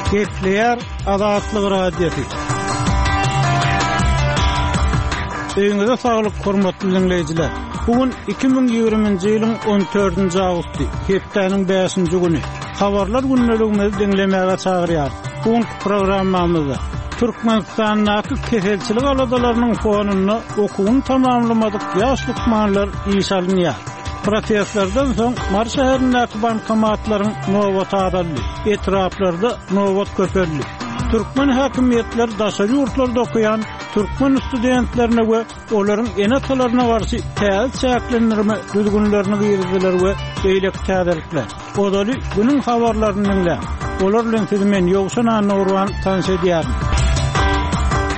Gepleýär Azatlyk Radiosy. Öýüňize saglyk, hormatly diňleýjiler! Bu gün 2020-nji ýylyň 14-nji awgusty, hepdäniň bäşinji güni. Habarlar gündeligimizi diňlemäge çagyrýarys. Bu günki programmamyzda Türkmenistandaky keselçilik aladalarynyň fonunda okuwyny tamamlamadyk ýaş lukmanlar işe alynýar. Protestlerden soň Mary şäherindäki bankomatlaryň nobaty azaldy, etraplarda nobat köpeldi. Türkmen häkimiýetleri daşary ýurtlarda okaýan türkmen studentlerine we olaryň ene-atalaryna garşy täze çäklendirme düzgünlerini girizdiler we beýleki täzelikler. Ozaly günüň habarlaryny diňläň. Olar bilen sizi men Ýowşan Annagurban tanyş edýärin.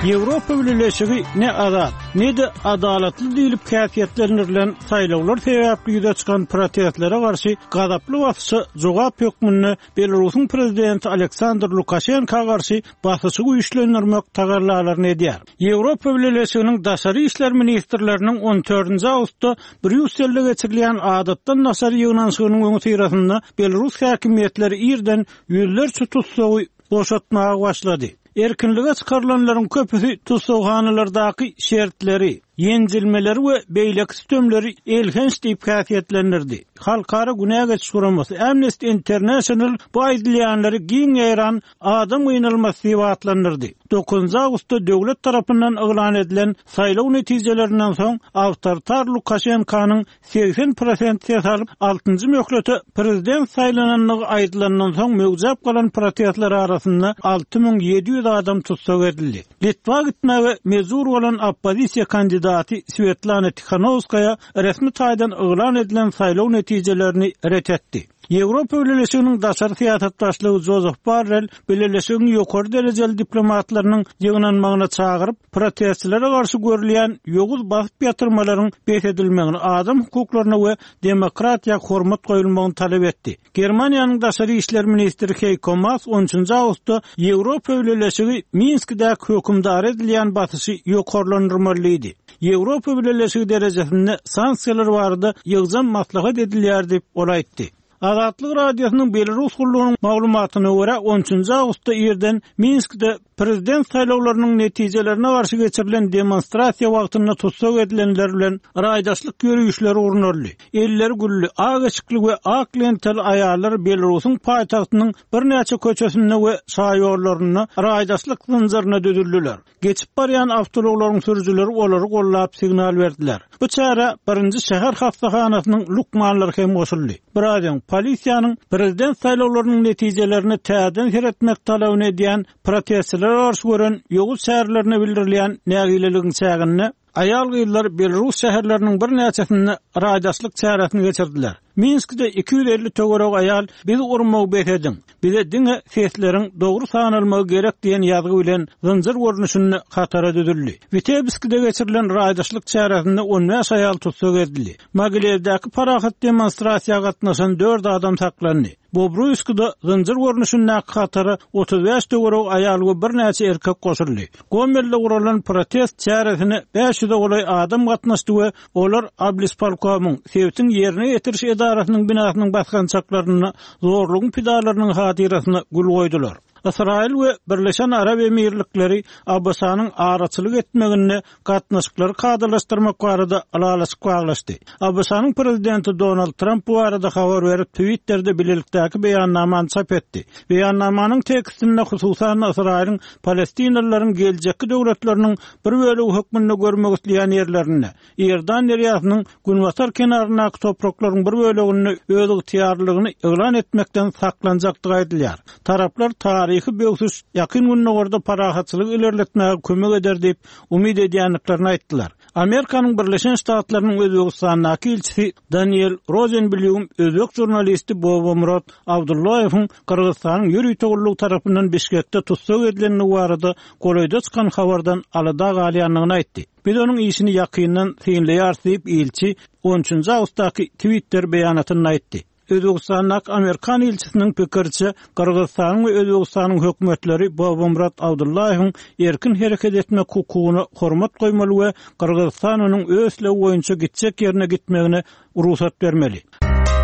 Ýewropa Bileleşigi ne azat, ne-de adalatly diýlip häsiýetlendirilen saýlawlar sebäpli ýüze çykan protestlere garşy gazaply basyşa jogap hökmünde Belarusyň prezidenti Aleksandr Lukaşenka garşy basyşy güýçlendirmek tagallalaryny edýär. Ýewropa Bileleşiginiň daşary işler ministrleriniň on dördünji awgustda Brýusselde geçirilýän adatdan daşary ýygnanyşygynyň öňüsyrasynda belarus häkimiýetleri irden ýüzlerçe tussagy boşatmaga başlady. Erkinlige çykarylanlaryň köpüsi tussaghanalardaky şertleri, ýenjilmeleri we beýleki sütemleri elhenç diýip häsiýetlendirdi. Halkara günä geçiş guramasy Amnesty International bu aýdylýanlary giň ýaýran adam gynalmasy diýip atlandyrdy. Dokuzynjy awgustda döwlet tarapyndan yglan edilen saýlaw netijelerinden soň awtoritar Lukaşenkanyň 80 prosent ses alyp, altynjy möhlete prezident saýlanandygy aýdylandan soň möwjäp galan protestler arasynda 6700 adam tussag edildi. Litwa gitmäge mejbur bolan oppozisiýa kandidaty Swetlana Tihanowskaýa resmi taýdan yglan edilen saýlaw netijelerini ret etdi. Ýewropa Bileleşiginiň daşary syýasat başlygy Jozef Borrell bileleşigiň ýokary derejeli diplomatlarynyň ýygnanmagyna çagyryp, protestçilere garşy görülýän ýowuz basyp ýatyrmalaryň bes edilmegini, adam hukuklaryna we demokratiýa hormat goýulmagyny talap etdi. Germaniýanyň daşary işler ministri Heýko Maas on üçünji awgustda Ýewropa Bileleşigi Minskidäki hökümdara edilýän basyşy ýokarlandyrmaly diýdi. Ýewropa Bileleşigi derejesinde sanksiýalar barada ýygjam maslahat edilýär diýip, ol aýtdy. Azatlyk Radiosynyň Belarus gullugynyň maglumatyna görä, on üçünji awgustda irden Minskde prezident saýlawlarynyň netijelerine garşy geçirilen demonstrasiýa wagtynda tussag edilenler bilen raýdaşlyk ýörişleri gurnaldy. Elleri gülli, ak eşikli we ak lentaly aýallar Belarusyň paýtagtynyň birnäçe köçesinde we şaýollarynda raýdaşlyk zynjyryna düzüldiler. Geçip barýan awtoulaglaryň sürüjileri olary gollap signal berdiler. Bu çärä birinji şäher hassahanasynyň lukmanlary hem goşuldy. Biraz öň, polisiýanyň prezident saýlawlarynyň netijelerine täzeden seretmek talabyny edýän protestçilere garşy gören ýowuz çärelerine bildirilýän nägileligiň çäginde, aýal-gyzlar belarus şäherleriniň birnäçesinde raýdaşlyk çäresini geçirdiler. Minskde 250 töweregi aýal Bizi urmagy bes ediň! Bize diňe sesleriň dogry sanalmagy gerek diýen ýazgy bilen zynjyr görnüşinde hatara düzüldi. Witebskide geçirilen raýdaşlyk çäresinde on bäş aýal tussag edildi. Mogilewdäki parahat demonstrasiýa gatnaşan dört adam saklandy. Bobruýskda zynjyr görnüşindäki hatara 35 töweregi aýal we birnäçe erkek goşuldy. Gomelde guralan protest çäresine 500-e golaý adam gatnaşdy we olar Oblispolkomyň, sebitiň ýerine ýetiriş edarasynyň binasynyň basgançaklarynda zorlugyň pidalarynyň hatyrasyna gül goýdular. Ysraýyl we Birleşen Arap Emirlikleri ABŞ-nyň araçylyk etmeginde gatnaşyklary kadalaşdyrmak barada ylalaşyk baglaşdy. ABŞ-nyň prezidenti Donald Tramp bu barada habar berip, Twitterde bilelikdäki beýannamany çap etdi. Beýannamanyň tekstinde hususan-da Ysraýylyň palestinalylaryň geljekki döwletleriniň bir bölegi hökmünde görmek isleýän ýerlerinde, Iordan derýasynyň günbatar kenaryndaky topraklaryň bir böleginde özygtyýarlylygyny yglan etmekden saklanjakdygy aýdylýar. Taraplar taryhy böwsüş Ýakyn Gündogarda parahatçylygy ilerletmäge kömek eder diýip umyt edýändiklerini aýtdylar. Amerikanyň Birleşen Ştatlarynyň Özbegistandaky ilçisi Daniel Rozenblýum özbek žurnalisti Bobomurod Abdullaýewiň Gyrgyzystanyň ýörite gullugy tarapyndan Bişkekde tussag edilendigi barada golaýda çykan habardan alada galýandygyny aýtdy. Biz onuň işini ýakyndan synlaýarys diýip, ilçi on üçünji awgustdaky Twitter beýanatynda aýtdy. Özbegistandaky amerikan ilçisiniň pikiriçe, Gyrgyzystanyň we Özbegistanyň hökümetleri Bobomurad Abdullaýewiň erkin hereket etmek hukugyna hormat goýmaly we Gyrgyzystan onuň öz islegi boýunça gitjek ýerine gitmegine rugsat bermeli.